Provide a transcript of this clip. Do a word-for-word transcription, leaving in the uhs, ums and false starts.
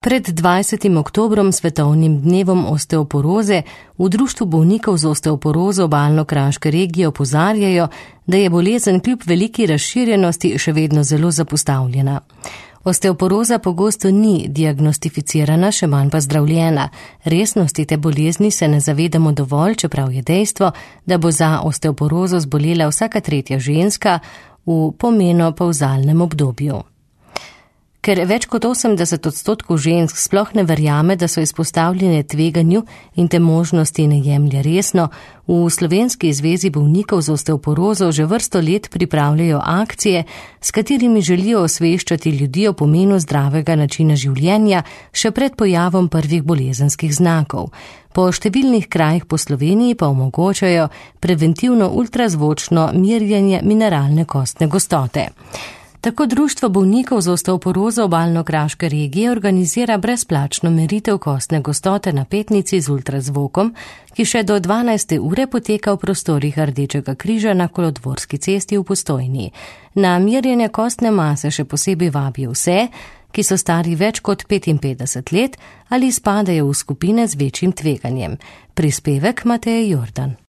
Pred dvajsetim oktobrom, svetovnim dnevom osteoporoze, v Društvu bolnikov z osteoporozo Obalno-kraške regije opozarjajo, da je bolezen kljub veliki razširjenosti še vedno zelo zapostavljena. Osteoporoza pogosto ni diagnostificirana, še manj pa zdravljena. Resnosti te bolezni se ne zavedamo dovolj, čeprav je dejstvo, da bo za osteoporozo zbolela vsaka tretja ženska v pomenopavzalnem obdobju. Ker več kot osemdeset odstotkov žensk sploh ne verjame, da so izpostavljene tveganju in te možnosti ne jemlje resno, v Slovenski zvezi bolnikov z osteoporozo že vrsto let pripravljajo akcije, s katerimi želijo osveščati ljudi o pomenu zdravega načina življenja še pred pojavom prvih bolezenskih znakov. Po številnih krajih po Sloveniji pa omogočajo preventivno ultrazvočno merjenje mineralne kostne gostote. Tako Društvo bolnikov z osteoporozo Obalno-kraške regije organizira brezplačno meritev kostne gostote na petnici z ultrazvokom, ki še do dvanajste ure poteka v prostorih Rdečega križa na Kolodvorski cesti v Postojni. Na merjenje kostne mase še posebej vabijo vse, ki so stari več kot petinpetdeset let ali spadajo v skupine z večjim tveganjem. Prispevek Mateje Jordan.